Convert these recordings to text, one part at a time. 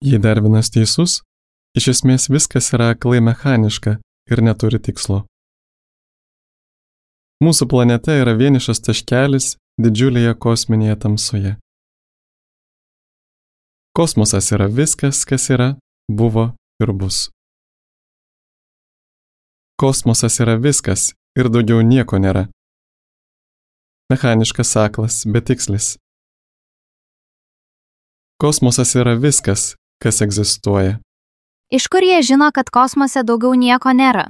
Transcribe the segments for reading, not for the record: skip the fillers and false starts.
Jei Darvinas teisus, iš esmės viskas yra aklai mechaniška ir neturi tikslo. Mūsų planeta yra vienišas taškelis didžiulėje kosminėje tamsoje. Kosmosas yra viskas, kas yra, buvo ir bus. Kosmosas yra viskas ir daugiau nieko nėra. Mechaniškas aklas, betikslis. Kosmosas yra viskas, kas egzistuoja. Iš kur jie žino, kad kosmose daugiau nieko nėra?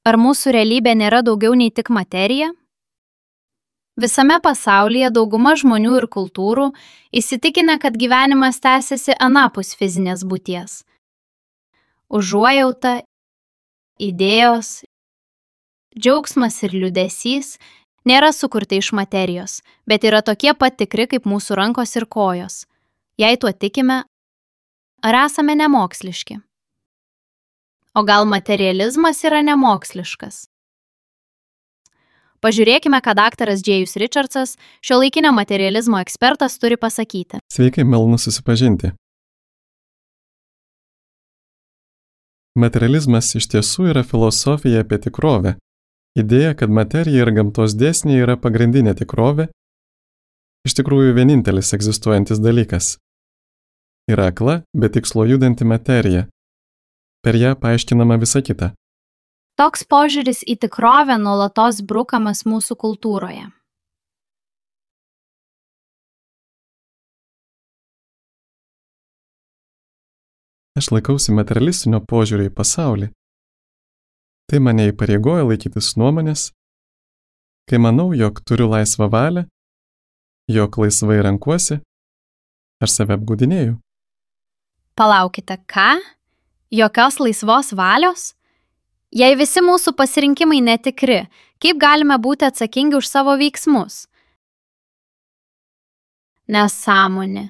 Ar mūsų realybė nėra daugiau nei tik materija? Visame pasaulyje dauguma žmonių ir kultūrų įsitikinę, kad gyvenimas tęsiasi anapus fizinės būties. Užuojauta, idėjos, džiaugsmas ir liūdesys nėra sukurti iš materijos, bet yra tokie pat tikri kaip mūsų rankos ir kojos. Jei tuo tikime, ar esame nemoksliški? O gal materializmas yra nemoksliškas? Pažiūrėkime, ką daktaras Džėjus Richardsas, šiuolaikinio materializmo ekspertas, turi pasakyti. Sveiki, malonu susipažinti. Materializmas iš tiesų yra filosofija apie tikrovę. Idėja, kad materija ir gamtos dėsniai yra pagrindinė tikrovė, iš tikrųjų vienintelis egzistuojantis dalykas. Yra akla, be tikslo judanti materija. Per ją paaiškinama visa kita. Toks požiūris į tikrovę nuolatos brukamas mūsų kultūroje. Aš laikausi materialistinio požiūrio į pasaulį. Tai mane įpareigoja laikytis nuomonės, kai manau, jog turiu laisvą valią, jog laisvai renkuosi, aš save apgaudinėju. Palaukite, ką? Jokios laisvos valios? Jei visi mūsų pasirinkimai netikri, kaip galime būti atsakingi už savo veiksmus? Nesąmonė.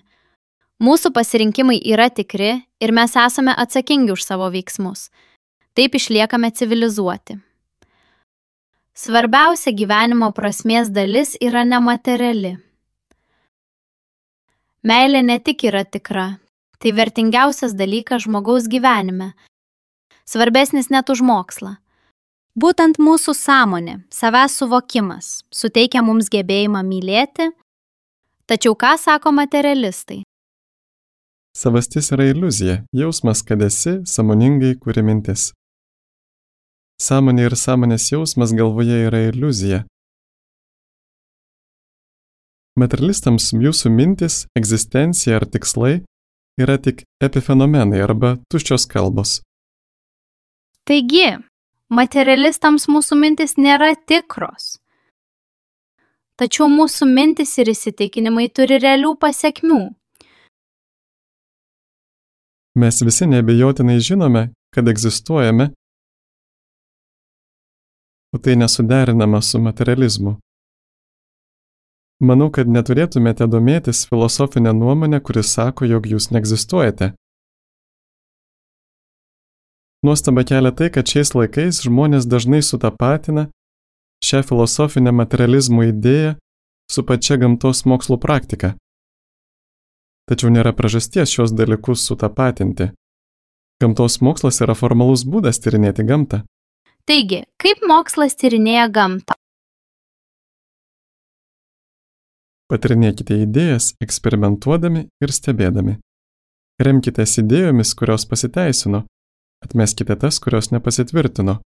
Mūsų pasirinkimai yra tikri ir mes esame atsakingi už savo veiksmus. Taip išliekame civilizuoti. Svarbiausia gyvenimo prasmės dalis yra nemateriali. Meilė ne tik yra tikra, tai vertingiausias dalykas žmogaus gyvenime. Svarbesnis net už mokslą. Būtent mūsų sąmonė, savęs suvokimas, suteikia mums gebėjimą mylėti, tačiau ką sako materialistai? Savastis yra iliuzija, jausmas, kad esi, sąmoningai kuri mintis. Sąmonė ir sąmonės jausmas galvoje yra iliuzija. Materialistams jūsų mintis, egzistencija ar tikslai yra tik epifenomenai arba tuščios kalbos. Taigi, materialistams mūsų mintis nėra tikros. Tačiau mūsų mintis ir įsitikinimai turi realių pasekmių. Mes visi neabejotinai žinome, kad egzistuojame, o tai nesuderinama su materializmu. Manau, kad neturėtumėte domėtis filosofinę nuomonę, kuris sako, jog jūs neegzistuojate. Nuostaba kelia tai, kad šiais laikais žmonės dažnai sutapatina šią filosofinę materializmo idėją su pačia gamtos mokslų praktika. Tačiau nėra priežasties šios dalykus sutapatinti. Gamtos mokslas yra formalus būdas tyrinėti gamtą. Taigi, kaip mokslas tyrinėja gamtą? Patyrinėkite idėjas eksperimentuodami ir stebėdami. Remkitės idėjomis, kurios pasiteisino. Atmeskite tas, kurios nepasitvirtino.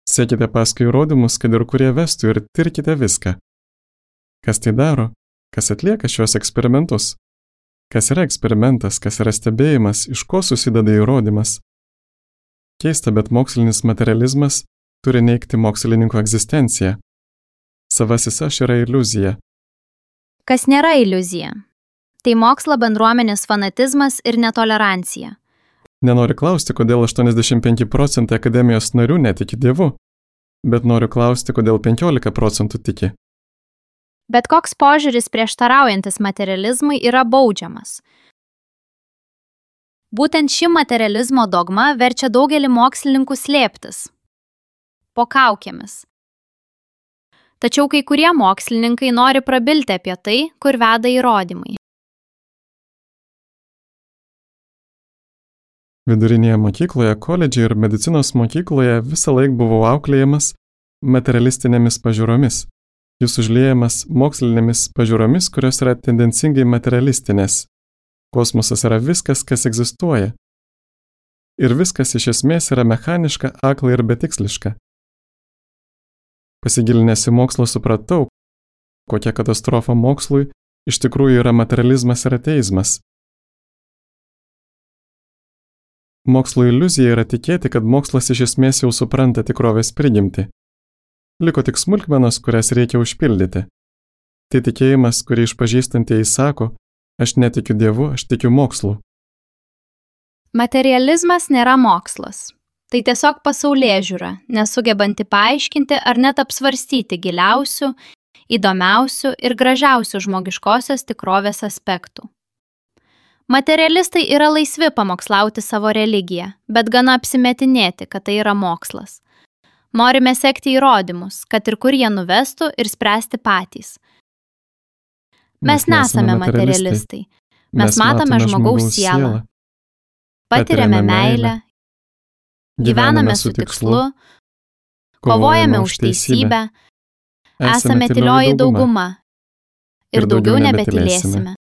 Sekite paskui įrodymus, kad ir kurie vestų, ir tirkite viską. Kas tai daro? Kas atlieka šios eksperimentus? Kas yra eksperimentas, kas yra stebėjimas, iš ko susideda įrodymas? Keista, bet mokslinis materializmas turi neigti mokslininko egzistenciją. Savasis aš yra iliuzija. Kas nėra iliuzija? Tai mokslo bendruomenės fanatizmas ir netolerancija. Nenoriu klausti, kodėl 85% akademijos narių netiki Dievu, bet noriu klausti, kodėl 15% tiki. Bet koks požiūris prieštaraujantis materializmui yra baudžiamas. Būtent ši materializmo dogma verčia daugelį mokslininkų slėptis po kaukėmis. Tačiau kai kurie mokslininkai nori prabilti apie tai, kur veda įrodymai. Vidurinėje mokykloje, koledže ir medicinos mokykloje visą laiką buvau auklėjamas materialistinėmis pažiūromis. Jis užliejamas mokslinėmis pažiūromis, kurios yra tendencingai materialistinės. Kosmosas yra viskas, kas egzistuoja. Ir viskas iš esmės yra mechaniška, akla ir betiksliška. Pasigilinęs į mokslą supratau, kokia katastrofa mokslui iš tikrųjų yra materializmas ir ateizmas. Mokslo iliuzija yra tikėti, kad mokslas iš esmės jau supranta tikrovės prigimtį. Liko tik smulkmenos, kurias reikia užpildyti. Tai tikėjimas, kurį išpažįstantieji sako, aš netikiu Dievu, aš tikiu mokslu. Materializmas nėra mokslas. Tai tiesiog pasaulėžiūra, nesugebanti paaiškinti ar net apsvarstyti giliausių, įdomiausių ir gražiausių žmogiškosios tikrovės aspektų. Materialistai yra laisvi pamokslauti savo religiją, bet gana apsimetinėti, kad tai yra mokslas. Norime sekti įrodymus, kad ir kur jie nuvestų ir spręsti patys. Mes nesame materialistai. Mes matome žmogaus sielą. Patiriame meilę, gyvename su tikslu, kovojame už teisybę, esame tylioji dauguma ir daugiau nebetylėsime.